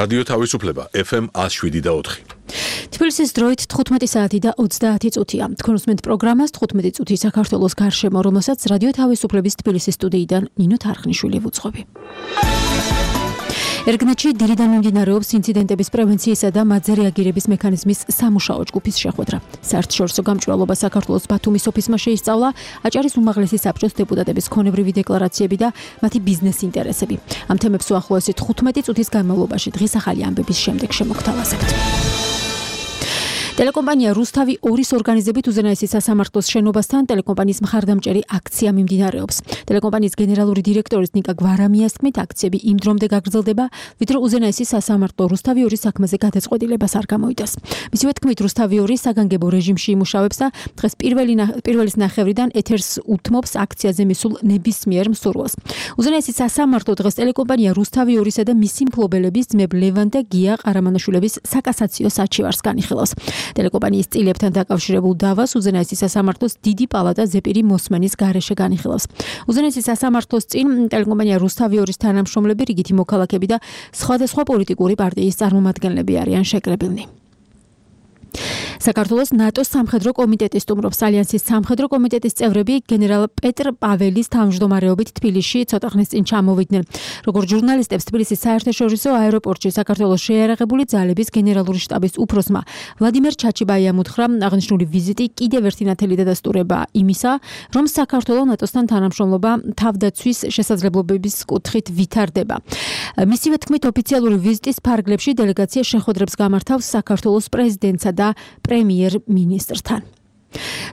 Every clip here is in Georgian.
რადიო თავისუფლება FM 107.4. თბილისის დროით 15 საათი და 30 წუთია. თქვენ უსმენთ პროგრამას 15 წუთი საქართველოს გარშემო, რომელსაც რადიო თავისუფლების თბილისის სტუდიიდან ნინო თარხნიშვილი ვუძღვები. ერგნეთში დილიდან მიმდინარეობს ინციდენტების პრევენციისა და მათზე რეაგირების მექანიზმის სამუშაო ჯგუფის შეხვედრა. საერთაშორისო გამჭვირვალობა საქართველოს ბათუმის ოფისმა შეისწავლა აჭარის უმაღლესი საბჭოს დეპუტატების ქონებრივი დეკლარაციები და მათი ბიზნეს ინტერესები. ამ თემებს უახლოესი 15 წუთის განმავლობაში დღის ახალი ამბების შემდეგ შემოგთავაზებთ. ტელეკომპანია რუსთავი 2-ის ორგანიზებით უზენაესი სასამართლოს შენობასთან ტელეკომპანიის მხარდამჭერი აქცია მიმდინარეობს. ტელეკომპანიის გენერალური დირექტორის ნიკა გვარამიას თქმით, აქციები იმ დრომდე გაგრძელდება, ვიდრე უზენაესი სასამართლო რუსთავი 2-ის საქმეზე გადაწყვეტილებას არ გამოიტანს. მისივე თქმით, რუსთავი 2 საგანგებო რეჟიმში იმუშავებს და დღეს პირველის ნახევრიდან ეთერს უთმობს აქციაზე მისულ ნებისმიერ მსურველს. უზენაესი სასამართლო დღეს ტელეკომპანია რუსთავი 2-ისა და მისი მფლობელების ძმებ ლევან და გია ყარამანაშვილების საკასაციო საჩივარს განიხილავს. ტელეკომპანიის წილებთან დაკავშირებულ დავას უზენაესი სასამართლოს დიდი პალატა ზეპირი მოსმენის გარეშე განიხილავს. უზენაესი სასამართლოს წინ ტელეკომპანია რუსთავი 2-ის თანამშრომლები, რიგითი მოქალაქეები და სხვადასხვა პოლიტიკური პარტიის წარმომადგენლები არიან შეკრებილნი. საქართველოს ნატოს სამხედრო კომიტეტი სტუმრობს. ალიანსის სამხედრო კომიტეტის წევრები გენერალ პეტრ პაველის თავმჯდომარეობით თბილისში ცოტა ხნის წინ ჩამოვიდნენ. როგორც ჟურნალისტებს თბილისის საერთაშორისო აეროპორტში საქართველოს შეიარაღებული ძალების გენერალური შტაბის უფროსმა ვლადიმერ ჩაჩიბაიამ უთხრა, აღნიშნული ვიზიტი კიდევ ერთი ნათელი დადასტურება იმისა, რომ საქართველოს ნატოსთან თანამშრომლობა თავდაცვის შესაძლებლობების კუთხით ვითარდება. მისივე თქმით, ოფიციალური ვიზიტის ფარგლებში დელეგაცია შეხვედრებს გამართავს საქართველოს პრეზიდენტსა და პრემიერ-მინისტრთან.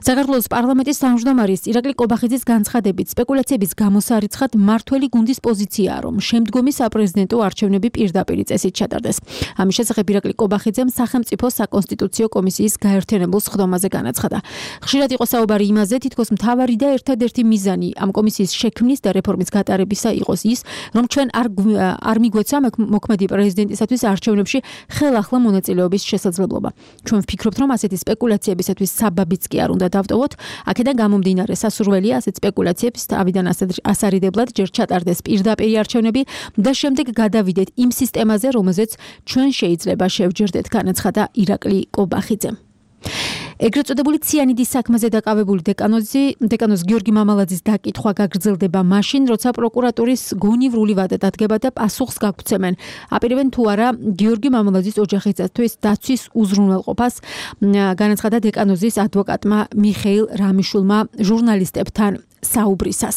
საქართველოს პარლამენტის თავმჯდომარის ირაკლი კობახიძის განცხადებით სპეკულაციების გამოსარიცხად მმართველი გუნდის პოზიციაა, რომ შემდგომი საპრეზიდენტო არჩევნები პირდაპირ წესით ჩატარდეს. ამის შესახებ ირაკლი კობახიძემ სახელმწიფო საკონსტიტუციო კომისიის გაერთიანებულ სხდომაზე განაცხადა. ხშირად იყო საუბარი იმაზე, თითქოს მთავარი და ერთადერთი მიზანი ამ კომისიის შექმნის და რეფორმის გატარებისა იყოს ის, რომ ჩვენ არ მიგვეცა მოქმედი პრეზიდენტისათვის არჩევნებში ხელახლა მონაწილეობის შესაძლებლობა. ჩვენ ვფიქრობთ, რომ ასეთი სპეკულაციებისათვის საბაბიც კი არ უნდა დავტოვოთ. აქედან გამომდინარე სასურველია ასეთ სპეკულაციებს თავიდან ასარიდებლად ჯერ ჩატარდეს პირდაპირი არჩევნები და შემდეგ გადავიდეთ იმ სისტემაზე, რომელზეც ჩვენ შეიძლება შევჯერდეთ, განაცხადა ირაკლი კობახიძემ. ეგრეთ წოდებული ციანიდის საქმეზე დაკავებული დეკანოზ გიორგი მამალაძის დაკითხვა გაგრძელდება მაშინ, როცა პროკურატურის გონივრული ვადა დადგება და პასუხს გაგცემენ. აპირებენ თუ არა გიორგი მამალაძის ოჯახისათვის დაცვის უზრუნველყოფას, განაცხადა დეკანოზის ადვოკატმა მიხეილ რამიშულმა ჟურნალისტებთან საუბრისას.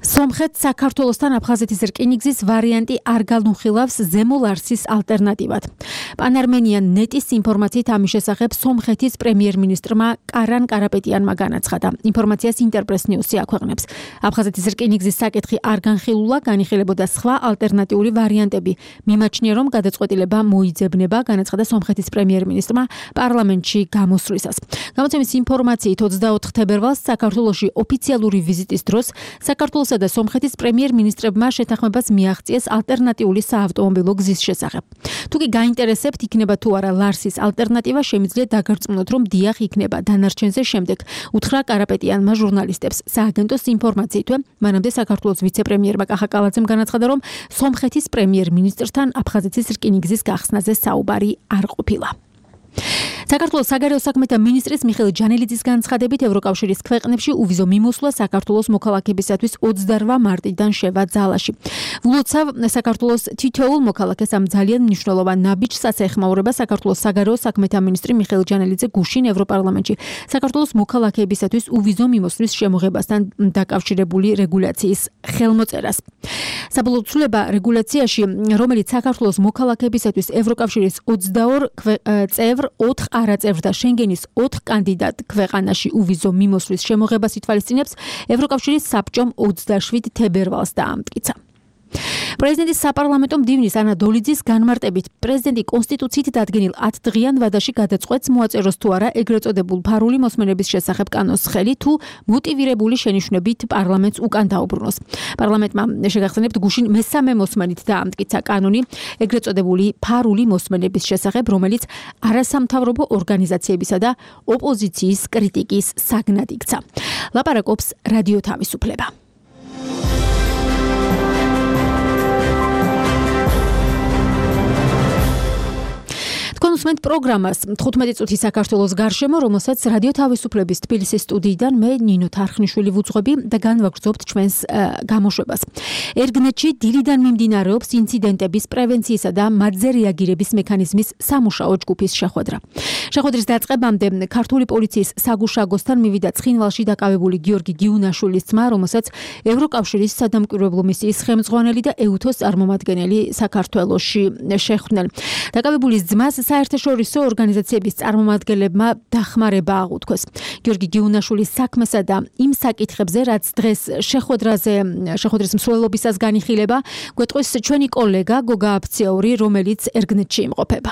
სომხეთ საქართველოსთან აფხაზეთის რკინიგზის ვარიანტი არ განუხილავს ზემო ლარსის ალტერნატივად. პანარმენიან ნეტის ინფორმაციით ამის შესახებ სომხეთის პრემიერ-მინისტრმა კარან კარაპეტიანმა განაცხადა. ინფორმაციას ინტერპრეს ნიუსი აქვეყნებს. აფხაზეთის რკინიგზის საკითხი არ განხილულა, განიხილებოდა სხვა ალტერნატიული ვარიანტები. მიმაჩნია, რომ გადაწყვეტილება მოიძებნება, განაცხადა სომხეთის პრემიერ-მინისტრმა პარლამენტში გამოსვლისას. გამოცემის ინფორმაციით 24 თებერვალს საქართველოში ოფიციალური ვიზიტის დროს საქართველოს და სომხეთის პრემიერ-მინისტრებმა შეთანხმებას მიაღწიეს ალტერნატიული საავტომობილო გზის შესახებ. თუ კი გაინტერესებთ იქნება თუ არა ლარსის ალტერნატივა, შემიძლია დაგარწმუნოთ, რომ დიახ იქნება. დანარჩენზე შემდეგ უთხრა კარაპეტიანმა ჟურნალისტებს. სააგენტოს ინფორმაციითვე მანამდე საქართველოს ვიცე-პრემიერმა კახა კალაძემ განაცხადა, რომ სომხეთის პრემიერ-მინისტრთან აფხაზეთის რკინიგზის გახსნაზე საუბარი არ ყოფილა. საქართველოს საგარეო საქმეთა მინისტრის მიხეილ ჯანელიძის განცხადებით ევროკავშირის ქვეყნებში უვიზო მიმოსვლა საქართველოს მოქალაქეებისათვის 28 მარტიდან შევა ძალაში. ვლოცავ საქართველოს თითოეულ მოქალაქეს ამ ძალიან მნიშვნელოვან ნაბიჯს ეხმაურება საქართველოს საგარეო საქმეთა მინისტრი მიხეილ ჯანელიძე გუშინ ევროპარლამენტში საქართველოს მოქალაქეებისათვის უვიზო მიმოსვლის შემოღებასთან დაკავშირებული რეგულაციის ხელმოწერას. საბოლოო ცვლილება რეგულაციაში, რომელიც საქართველოს მოქალაქეებისათვის ევროკავშირის 22 წევრ 4 არაწევრ და შენგენის 4 კანდიდატ ქვეყანაში უვიზო მიმოსვლის შემოღებას ითვალისწინებს, ევროკავშირის საბჭომ 27 თებერვალს დაამტკიცა. პრეზიდენტის საპარლამენტო მდივნის ანა დოლიძის განმარტებით პრეზიდენტი კონსტიტუციით დადგენილ 10 დღიან ვადაში გადაწყვეტს მოაწეროს თუ არა ეგრეთ წოდებულ ფარული მოსმენების შესახებ კანონს ხელი, თუ მოტივირებული შენიშვნებით პარლამენტს უკან დაუბრუნოს. პარლამენტმა შეგახსენებთ გუშინ მესამე მოსმენით დაამტკიცა კანონი ეგრეთ წოდებული ფარული მოსმენების შესახებ, რომელიც არასამთავრობო ორგანიზაციებისა და ოპოზიციის კრიტიკის საგნად იქცა. ლაპარაკობს რადიო თავისუფლება. თქვენ უსმენთ პროგრამას 15 წუთი საქართველოს გარშემო, რომელსაც რადიო თავისუფლების თბილისის სტუდიიდან მე ნინო თარხნიშვილი ვუძღვები და განვაგრძობთ ჩვენს გამოშვებას. ერგნეთში დილიდან მიმდინარეობს ინციდენტების პრევენციისა და მათზე რეაგირების მექანიზმის სამუშაო ჯგუფის შეხვედრა. შეხვედრის დაწყებამდე ქართული პოლიციის საგუშაგოსთან მივიდა ცხინვალში დაკავებული გიორგი გიუნაშვილის ძმა, რომელსაც ევროკავშირის სადამკვირვებლო მისიის ხელმძღვანელი და ეუთოს წარმომადგენელი საქართველოში შეხვდნენ. დაკავებულის ძმას საერთაშორისო ორგანიზაციების წარმომადგენლებმა დახმარება აღუთქვეს. გიორგი გიუნაშვილის საქმესა და იმ საკითხებზე, რაც დღეს შეხვედრის მსვლელობისას განიხილება, გვეტყვის ჩვენი კოლეგა გოგა აფციაური, რომელიც ერგნეთში იმყოფება.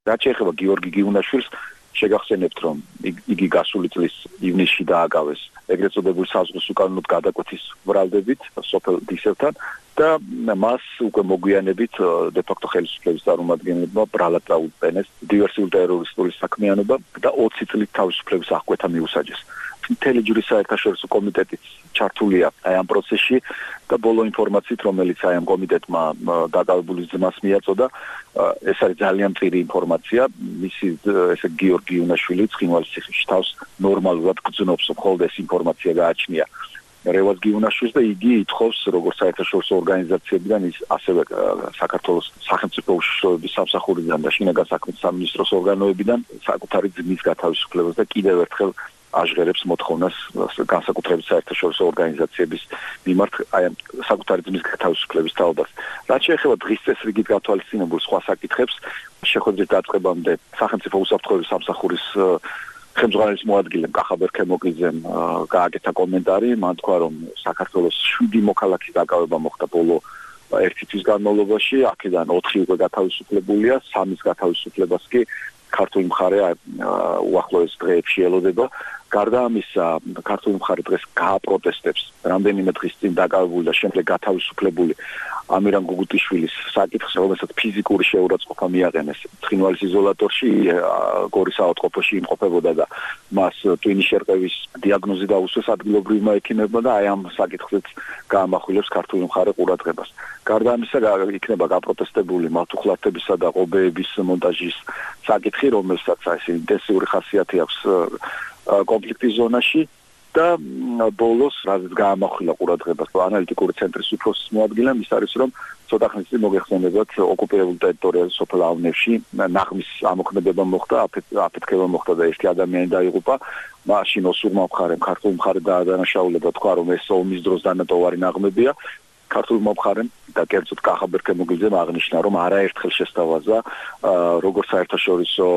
რაც შეეხება გიორგი გიუნაშვილს, შეგახსენებთ, რომ იგი გასული წლის ივნისში დააკავეს ეგრეთ წოდებულ საზღვის უკანონოდ გადაკვეთის ბრალდებით სოფელ დისევთან და მას უკვე მოგვიანებით დე-ფაქტო ხელისუფლების წარმომადგენლებმა ბრალად წაუყენეს დივერსიული ტერორისტული საქმიანობა და 20 წლით თავისუფლების აღკვეთა მიუსაჯეს. მთელი ჯვრის საერთაშორისო კომიტეტიც ჩართულია აი ამ პროცესში და ბოლო ინფორმაციით, რომელიც აი ამ კომიტეტმა დაკავებულის ძმას მიაწოდა, ეს არის ძალიან მწირი ინფორმაცია. მისი ესე გიორგი გიუნაშვილი ცხინვალის ციხეში თავს ნორმალურად გძნობს, მხოლოდ ეს ინფორმაცია გააჩნია რევაზ გიუნაშვილს და იგი ითხოვს როგორც საერთაშორისო ორგანიზაციებიდან, ის ასევე საქართველოს სახელმწიფო უშიშროების სამსახურიდან და შინაგან საქმეთა სამინისტროს ორგანოებიდან საკუთარი ძმის გათავისუფლებას და კიდევ ერთხელ აჟღერებს მოთხოვნას განსაკუთრებით საერთაშორისო ორგანიზაციების მიმართ აი ამ საკუთარი ძმის გათავისუფლების თაობას. რაც შეეხება დღის წესრიგით გათვალისწინებულ სხვა საკითხებს, შეხვედრის დაწყებამდე სახელმწიფო უსაფრთხოების სამსახურის ხელმძღვანელის მოადგილემ კახაბერ ქემოკიძემ გააკეთა კომენტარი, მან თქვა, რომ საქართველოს 7 მოქალაქის დაკავება მოხდა ბოლო 1 თვის განმავლობაში, აქედან 4 უკვე გათავისუფლებულია, 3-ის გათავისუფლებას კი ქართული მხარე უახლოეს დღეებში ელოდება. გარდა ამისა, ქართული მხარე დღეს გააპროტესტებს რამდენიმე დღის წინ დაკავებული და შემდეგ გათავისუფლებული ამირან გუგუტიშვილის საკითხს, რომელსაც ფიზიკური შეურაცხყოფა მიაყენეს ცხინვალის იზოლატორში, გორის საავადმყოფოში იმყოფებოდა და მას ტვინის შერყევის დიაგნოზი დაუსვეს ადგილობრივმა ექიმებმა და აი ამ საკითხზეც გაამახვილებს ქართული მხარე ყურადღებას. გარდა ამისა, იქნება გაპროტესტებული მართლმსაჯულებისა და ყობეების მონტაჟის საკითხი, რომელსაც ეს ინტენსიური ხასიათი აქვს კონფლიქტის ზონაში და ბოლოს რაც გაამახვილა ყურადღებას ანალიტიკური ცენტრის უფროსის მოადგილემ, ის არის, რომ ცოტა ხნის წინ მოგეხსენებათ ოკუპირებულ ტერიტორიაზე სოფელ ავნევში ნაღმის ამოქმედება მოხდა, აფეთქება მოხდა და ერთი ადამიანი დაიღუპა. მაშინ ოსურმა მხარემ ქართულ მხარე დაადანაშაულება, თქვა, რომ ეს ომის დროს დანატოვარი ნაღმებია. ქართულ მომხარემ და კერძოდ კახაბერ ქემოგიძემ აღნიშნა, რომ არაერთხელ შესთავაზა როგორც საერთაშორისო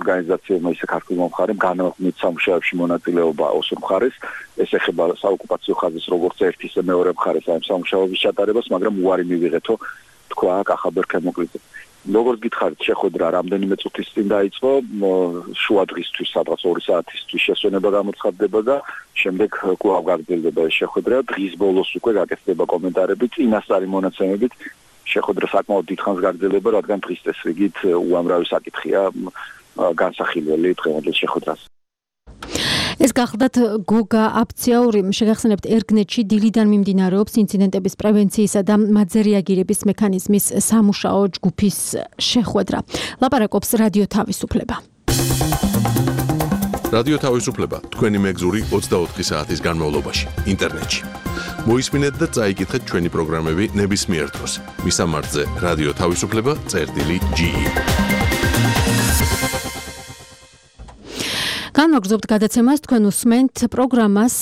ორგანიზაციებმა, ისე ქართულ მომხარემ განმარტივ სამუშაოებში მონაწილეობა ოსურ მხარეს. ეს ეხება საოკუპაციო ხაზის როგორც ერთი, ისე მეორე მხარეს ამ სამუშაოების ჩატარებას, მაგრამ უარი მივიღეთო, თქვა კახაბერ ქემოგიძემ. როგორც გითხარით, შეხვედრა რამდენიმე წუთის წინ დაიწყო, შუა დღისთვის, სადღაც 2 საათისთვის შესვენება გამოცხადდება და შემდეგ კვლავ გაგრძელდება ეს შეხვედრა. დღის ბოლოს უკვე გაკეთდება კომენტარები, წინასწარი მონაცემებით. შეხვედრა საკმაოდ დიდხანს გაგრძელდება, რადგან დღის წესრიგით უამრავი საკითხია განსახილველი დღევანდელ შეხვედრას. ეს გახლდათ გოგა აფციაური, შეგახსენებთ, ერგნეთში დილიდან მიმდინარეობს ინციდენტების პრევენციისა და მათზე რეაგირების მექანიზმის სამუშაო ჯგუფის შეხვედრა. ლაპარაკობს რადიო თავისუფლება. რადიო თავისუფლება თქვენი მეგზური 24 საათის განმავლობაში ინტერნეტში. მოისმინეთ და წაიკითხეთ ჩვენი პროგრამები ნებისმიერ დროს. მისამართზე რადიო თავისუფლება.ge. განვაგრძობთ გადაცემას, თქვენ უსმენთ პროგრამას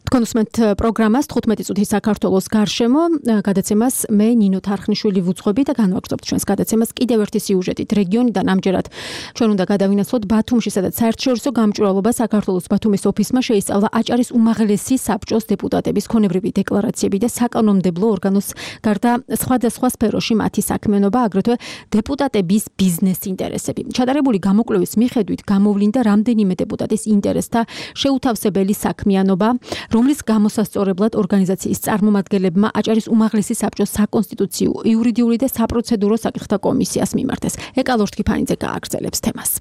15 წუთი საქართველოს გარშემო. გადაცემას მე ნინო თარხნიშვილი ვუძღვები და განვაგრძობთ ჩვენს გადაცემას კიდევ ერთი სიუჟეტით რეგიონიდან. ამჯერად ჩვენ უნდა გადავინაცვლოთ ბათუმში, სადაც საერთაშორისო გამჭვირვალობა საქართველოს ბათუმის ოფისმა შეისწავლა აჭარის უმაღლესი საბჭოს დეპუტატების ქონებრივი დეკლარაციები და საკანონმდებლო ორგანოს გარდა სხვადასხვა სფეროში მათი საქმიანობა, აგრეთვე დეპუტატების ბიზნეს ინტერესები. ჩატარებული გამოკვლევის მიხედვით გამოვლინდა რამდენიმე დეპუტატის ინტერესთა შეუთავსებელი საქმიანობა, რომლის გამოსასწორებლად ორგანიზაციის წარმომადგენლებმა აჭარის უმაღლესი საბჭოს საკონსტიტუციო, იურიდიული და საპროცედურო საკითხთა კომისიას მიმართეს. ეკალორ თქიფანიძე გააგრძელებს თემას.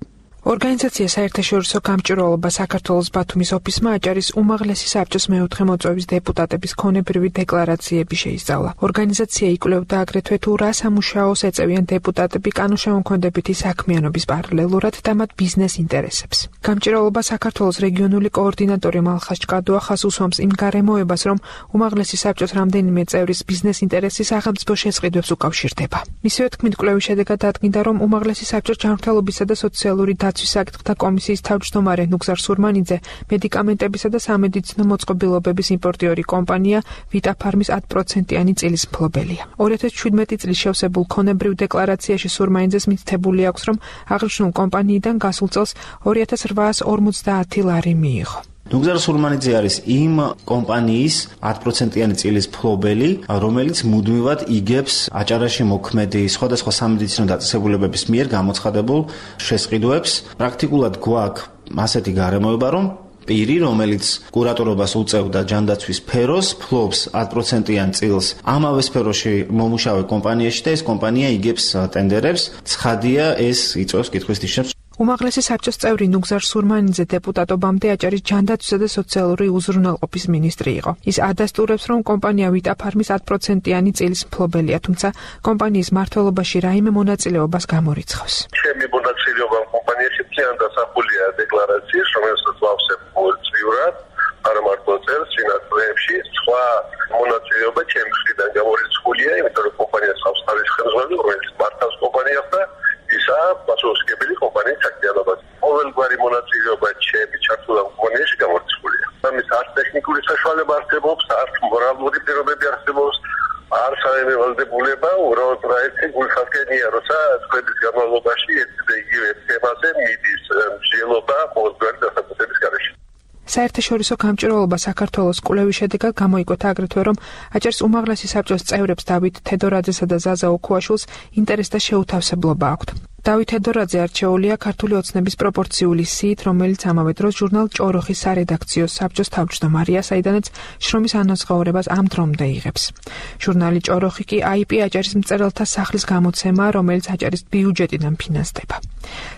ორგანიზაცია საერთაშორისო გამჭვირვალობა საქართველოს ბათუმის ოფისმა აჭარის უმაღლესი საბჭოს მეოთხე მოწვევის დეპუტატების ქონებრივი დეკლარაციები შეისწავლა. ორგანიზაცია იკვლევდა აგრეთვე თუ რა სამუშაოს ეწევიან დეპუტატები კანონშემოქმედებითი საქმიანობის პარალელურად და მათ ბიზნეს ინტერესებს. გამჭვირვალობა საქართველოს რეგიონული კოორდინატორი მალხაზ ჭკადუახას უსვამს იმ გარემოებას, რომ უმაღლესი საბჭოს რამდენიმე წევრის ბიზნეს ინტერესი სახელმწიფო შესყიდვებს უკავშირდება. მისივე თქმით, კვლევის შედეგად დადგინდა, რომ უმაღლესი საბჭოს ჯანმრთელობისა და სოციალური დაცვის საკითხთა კომისიის თავმჯდომარე ნუგზარ სურმანიძე მედიკამენტებისა და სამედიცინო მოწყობილობების იმპორტიორი კომპანია ვიტაფარმის 10%-იანი წილის მფლობელია. 2017 წლის შევსებულ ქონებრივ დეკლარაციაში სურმანიძეს მითითებული აქვს, რომ აღნიშნულ კომპანიიდან გასულ წელს 2850 ლარი მიიღო. ნუგზარ სურმანიძე არის იმ კომპანიის 10%-იანი წილის მფლობელი, რომელიც მუდმივად იგებს აჭარაში მოქმედი სხვადასხვა სამედიცინო დაწესებულებების მიერ გამოცხადებულ შესყიდვებს. პრაქტიკულად გვაქვს ასეთი გარემოება, რომ პირი, რომელიც კურატორობას უწევდა ჯანდაცვის სფეროს, ფლობს 10%-იან წილს ამავე სფეროში მომუშავე კომპანიაში და ეს კომპანია იგებს ტენდერებს. ცხადია, ეს იწვევს კითხვის ნიშნებს. უმაღლესი საბჭოს წევრი ნუგზარ სურმანიძე დეპუტატობამდე აჭარის ჯანდაცვისა და სოციალური უზრუნველყოფის მინისტრი იყო. ის ადასტურებს, რომ კომპანია ვიტაფარმის 10%-იანი წილის მფლობელია, თუმცა კომპანიის მმართველობაში რაიმე მონაწილეობას გამორიცხავს. ჩემი მონაწილეობა კომპანიაში ძალიან დასახულია დეკლარაციის, რომელსაც ვავსებ ყოველწლიურად, არა მარტო წელს, წინასწრებში, სხვა მონაწილეობა ჩემი მხრიდან გამორიცხულია, იმიტომ რომ კომპანიას ხავს თავის ხელმძღვანელი, რომელიც მართავს კომპანიას და ისა პასუხისმგებელი კომპანიის საქმიანობას. ყოველგვარი მონაწილეობა ჩემი ჩართულობა კომპანიაში გამორიცხულია. ამის არც ტექნიკური საშუალება არსებობს, არც მორალური პირობები არსებობს, არც საერთაშორისო უბრალოდ რაიცი გულხასკენია, როცა წლების განმავლობაში ერთი და იგივე თემაზე მიდის მსჯელობა ყოველგვარი დასაწყისების გარეშე. საერთაშორისო გამჭვირვალობა საქართველოს კვლევის შედეგად გამოიკვეთა აგრეთვე, რომ აჭარის უმაღლესი საბჭოს წევრებს დავით თედორაძესა და ზაზა ოქუაშვილს ინტერესთა შეუთავსებლობა აქვთ. დავით თედორაძე არჩეულია ქართული ოცნების პროპორციული სიით, რომელიც ამავე დროს ჟურნალ ჭოროხის სარედაქციო საბჭოს თავმჯდომარეა, საიდანაც შრომის ანაზღაურებას ამ დრომდე იღებს. ჟურნალი ჭოროხი კი IP აჭარის მწერალთა სახლის გამოცემაა, რომელიც აჭარის ბიუჯეტიდან ფინანსდება.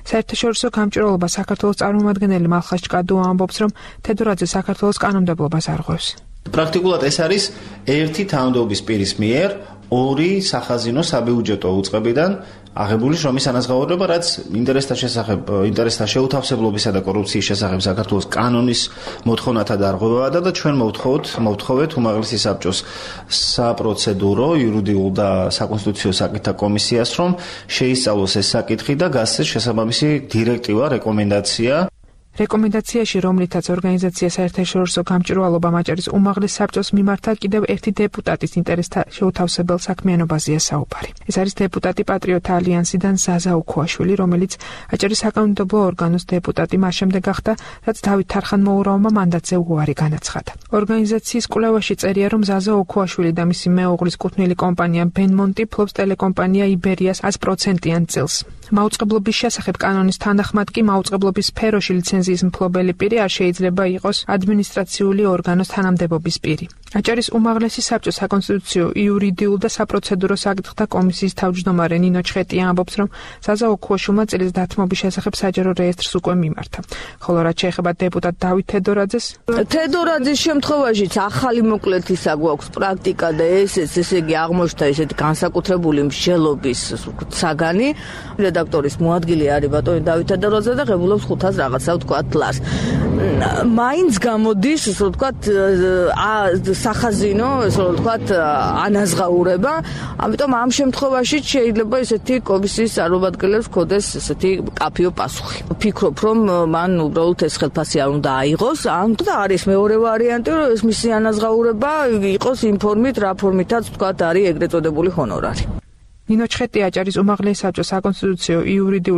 საერთაშორისო გამჭვირვალობა საქართველოს წარმომადგენელი მალხაზ ჭკადუა ამბობს, რომ თედორაძე საქართველოს კანონმდებლობას არღვევს. პრაქტიკულად ეს არის ერთი თანამდებობის პირის მიერ ორი სახაზინო საბიუჯეტო უწყებიდან აღებული შრომის ანაზღაურება, რაც ინტერესთა შეუთავსებლობისა და კორუფციის შესახებ საქართველოს კანონის მოთხოვნათა დარღვევაა და ჩვენ მოვთხოვეთ უმაღლესი საბჭოს საპროცედურო, იურიდიულ და საკონსტიტუციო საკითხთა კომისიას, რომ შეისწავლოს ეს საკითხი და გასცეს შესაბამისი დირექტივა, რეკომენდაცია. რეკომენდაციაში, რომლითაც ორგანიზაცია საერთაშორისო გამჭვირვალობა აჭარის უმაღლეს საბჭოს მიმართა კიდევ ერთი დეპუტატის ინტერესთა შეუთავსებელ საქმიანობაზეა საუბარი. ეს არის დეპუტატი პატრიოტთა ალიანსიდან ზაზა ოქუაშვილი, რომელიც აჭარის საკანონმდებლო ორგანოს დეპუტატი მას შემდეგ გახდა, რაც დავით თარხანმოურავმა მანდატზე უარი განაცხადა. ორგანიზაციის კვლევაში წერია, რომ ზაზა ოქუაშვილი და მისი მეუღლის კუთვნილი კომპანია ბენმონტი ფლობს ტელეკომპანია იბერიას 100%-იან წილს. მაუწყებლობის შესახებ კანონის თანახმად კი მაუწყებლობის სფეროში ლიცენზიის მფლობელი პირი არ შეიძლება იყოს ადმინისტრაციული ორგანოს თანამდებობის პირი. აჭარის უმაღლესი საბჭოს საკონსტიტუციო, იურიდიულ და საპროცედურო საკითხთა კომისიის თავმჯდომარე ნინო ჩხეტია ამბობს, რომ ზაზა ოქუაშვილმა წილის დათმობის შესახებ საჯარო რეესტრს უკვე მიმართა. ხოლო რაც შეეხება დეპუტატ დავით თედორაძეს, თედორაძის შემთხვევაშიც ახალი მოკლეთისა გვაქვს პრაქტიკა და ესე იგი აღმოჩნდა ესეთი განსაკუთრებული მსჯელობის საგანი. რედაქტორის მოადგილე არის ბატონი დავით თედორაძე და ღებულობს 500 რაღაცა ვთქვათ ლარს. მაინც გამოდის, ასე ვთქვათ, სახაზინო, ასე ვთქვათ, ანაზღაურება, ამიტომ ამ შემთხვევაში შეიძლება ესეთი კომისიის წარმომადგენლებს ჰქონდეს ესეთი კაფეო პასუხი. ვფიქრობ, რომ მან უბრალოდ ეს ხელფასი არ უნდა აიღოს, ან და არის მეორე ვარიანტი, რომ ეს მისი ანაზღაურება იყოს იმ ფორმით, რა ფორმითაც ვთქვათ, არის ეგრეთ წოდებული ჰონორარი. ნინო ჩხეტია აჭარის უმაღლესი საბჭოს საკონსტიტუციო, იურიდიულ